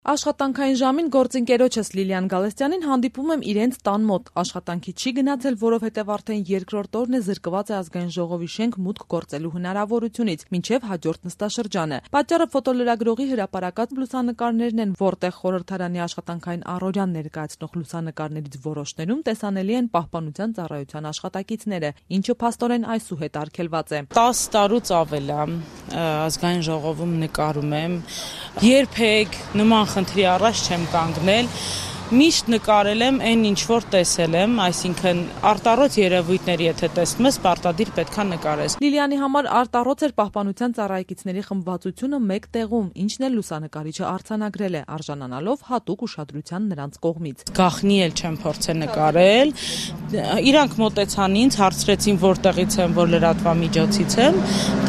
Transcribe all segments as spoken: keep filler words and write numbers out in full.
Աշխատանքային ժամին գործընկերոջս Լիլիան Գալստյանին հանդիպում եմ իրենց տան մոտ։ Աշխատանքի չի գնացել, որովհետև արդեն երկրորդ օրն է զրկված է ազգային ժողովի շենք մուտք գործելու հնարավորությունից, մինչև հաջորդ նստաշրջանը։ Պատճառը ֆոտոլրագրողի հրապարակած լուսանկարներն են, որտեղ խորհրդարանի աշխատանքային առօրյան ներկայացնող լուսանկարներից որոշներում տեսանելի են Պահպանության ծառայության աշխատակիցները, ինչը փաստորեն այսուհետ արգելված է։ տասը տարուց ավել է ազգային ժողովում նկարում եմ, երբեք նման խնդրի առաջ չեմ կանգնել, միշտ նկարել եմ այն ինչ որ տեսել եմ, այսինքն արտառոց երևույթների եթե տեսնում ես, պարտադիր պետքա նկարես։ Լիլիանի համար արտառոց էր Պահպանության ծառայեկիցների խմբվածությունը մեկ տեղում, ինչն էլ լուսանկարիչը արձանագրել է, արժանանալով հատուկ ուշադրության նրանց կողմից։ Գաղտնի էլ չեմ փորձել նկարել, իրանք մոտեցան ինձ, հարցրեցին որտեղից եմ, որ լրատվամիջոցից եմ,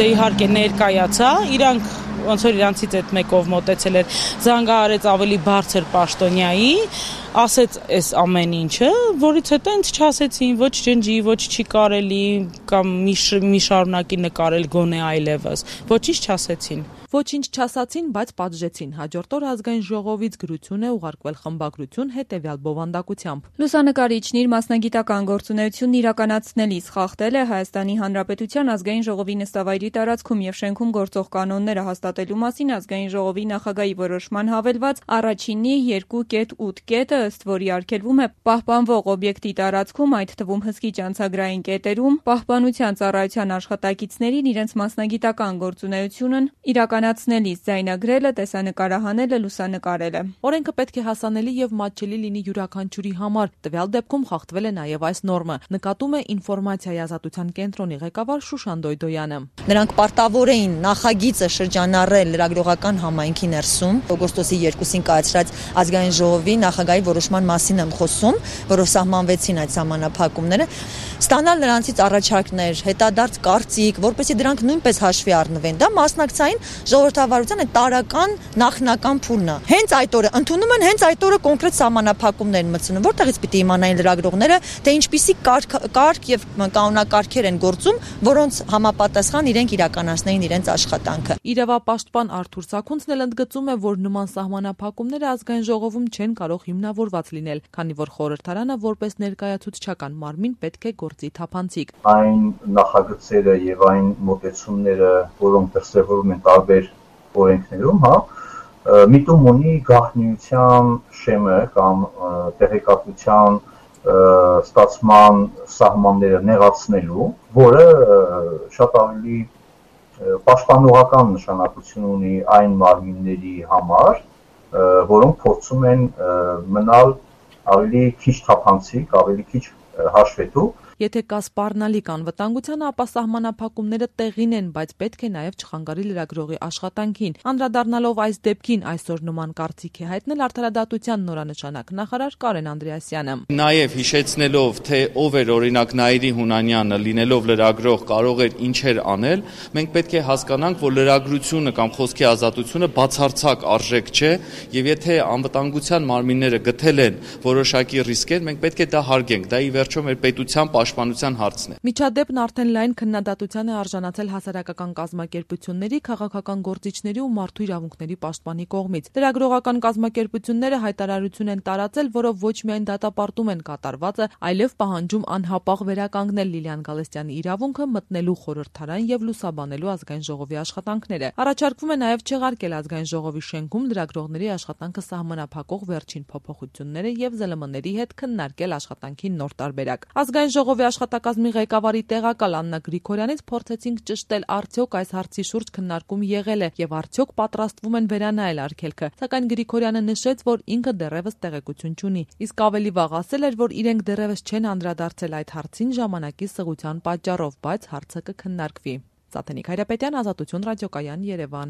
դե իհարկե ներկայացա, իրանք ոնց որ իրանցից այդ մեկով մոտեցել էր, զանգահարեց ավելի բարձր պաշտոնյայի, ասեց այս ամեն ինչը, որից հետո ինձ չասեցին ոչ ջնջի, ոչ չի կարելի կամ մի շարունակի նկարել գոնե այլևս, ոչինչ չասեցին։ Ոչինչ չասացին, բայց պատժեցին։ Հաջորդ օր ազգային ժողովից գրություն է ուղարկվել խմբագրություն հետևյալ բովանդակությամբ։ Լուսանկարիչն իր մասնագիտական գործունեությունն իրականացնելիս խախտել է Հայաստանի Հանրապետության ազգային ժողովի նստավայրի տարածքում եւ շենքում գործող կանոնները հաստատելու մասին ազգային ժողովի նախագահի որոշման հավելված առաջինի երկու կետ ութ կետը, ըստ որի արգելվում է պահպանվող օբյեկտի տարածքում, այդ թվում հսկիչ անցագրային կետերում, Պահպանության ծառայության աշխատակիցներին իրենց մասնագիտական գործունեությունն իրականացնելիս ձայնագրելը, տեսանկարահանելը, լուսանկարելը։ Օրենքը պետք է հասանելի եւ մատչելի լինի յուրաքանչյուրի համար։ Տվյալ դեպքում խախտվել է նաեւ այս նորմը, նկատում է ինֆորմացիայի ազատության կենտրոնի ղեկավար Շուշան Դոյդոյանը։ Նրանք պարտավոր էին նախագիծը շրջանառել լրագրողական համայնքի ներսում, օգոստոսի երկուսին կայացրած ազգային ժողովի նախագահի որոշման մասին եմ խոսում, որով սահմանվեցին այդ սահմանափակումները, ստանալ նրանցից առաջարկներ, հետադարձ կարծիք, որպեսզի դրանք նույնպես հաշվի առնվեն։ Դա մասնակցային ժողովրդավարության այդ տարական նախնական փուլն է։ Հենց այդ օրը ընդունում են, հենց այդ օրը կոնկրետ սահմանափակումներ են մտցնում, որտեղից պիտի իմանային լրագրողները, թե ինչպիսի կարգ, կարգ եւ կանոնակարգեր են գործում, որոնց համապատասխան իրենք իրականացնեին իրենց աշխատանքը։ Իրավապաշտպան Արթուր Սաքունցն էլ ընդգծում է, որ նման սահմանափակումները ազգային ժողովում չեն կարող հիմնավորված լինել, քանի որ խորհրդարանը որպես ներկայացուցչական մարմին պետք է գործի թափանցիկ։ Այն նախագծերը եւ այն մոտեցումները, որոնք դրսեւորում են տարբեր օրենքներում, հա, միտում ունի գաղտնիության շեմը կամ տեղեկատվության ստացման սահմանները նեղացնելու, որը շատ ավելի պաշտպանողական նշանակություն ունի այն մարմինների համար, որոնք փորձում են մնալ ավելի քիչ թափանցիկ, ավելի քիչ հաշվետու։ Եթե կա սպառնալիք անվտանգության, ապա սահմանափակումները տեղին են, բայց պետք է նաև չխանգարի լրագրողի աշխատանքին։ Անդրադառնալով այս դեպքին, այսօր նման կարծիք է հայտնել Արդարադատության նորանշանակ նախարար Կարեն Անդրեասյանը։ Նաև հիշեցնելով, թե ով էր օրինակ Նաիրի Հունանյանը, լինելով լրագրող, կարող էր ինչեր անել, մենք պետք է հասկանանք, որ լրագրությունը կամ խոսքի ազատությունը բացարձակ արժեք չէ, եւ եթե անվտանգության մարմինները գտել են որոշակի ռիսկեր, մենք պետք է դա հարգենք։ Դա ի վերջո մեր պետության պաշտպանության հարցն է։ Միջադեպն արդեն լայն քննադատության է արժանացել հասարակական կազմակերպությունների, քաղաքական գործիչների ու մարդու իրավունքների պաշտպանի կողմից։ Լրագրողական կազմակերպությունները հայտարարություն են տարածել, որով ոչ միայն դատապարտում են կատարվածը, այլև պահանջում անհապաղ վերականգնել Լիլիան Գալստյանի իրավունքը մտնելու խորհրդարան եւ լուսաբանելու ազգային ժողովի աշխատանքները։ Առաջարկվում է նաեւ չեղարկել ազգային ժողովի շենքում լրագրողների աշխատանքը սահմանափակող վերջին փոփոխությունները եւ զել էմ էների հետ քննարկել աշխատանքի նոր տարբերակ։ Ազգային ժողովի աշխատակազմի ղեկավարի տեղակալ Աննա Գրիգորյանից փորձեցինք ճշտել արդյոք այս հարցի շուրջ քննարկում եղել է եւ արդյոք պատրաստվում են վերանայել արգելքը, սակայն Գրիգորյանը նշեց, որ ինքը դեռևս տեղեկություն չունի, իսկ ավելի վաղ ասել էր, որ իրենք դեռևս չեն անդրադարձել այդ հարցին ժամանակի սղության պատճառով, բայց հարցը կքննարկվի։ Սաթենիկ Հայրապետյան, Ազատություն ռադիոկայան, Երևան։